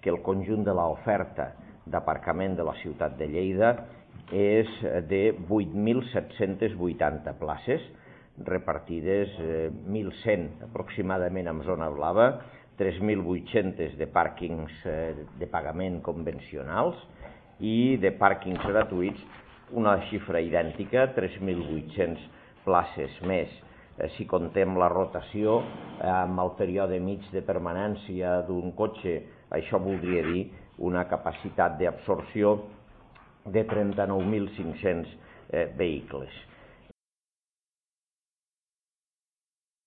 que el conjunt de l'oferta d'aparcament de la ciutat de Lleida és de 8.780 places, repartides 1.100 aproximadament en zona blava, 3.800 de pàrquings de pagament convencionals i de pàrquings gratuïts una xifra idèntica, 3.800 places més. Si contem la rotació amb el període mig de permanència d'un cotxe, això voldria dir una capacitat d'absorció de 39.500 vehicles.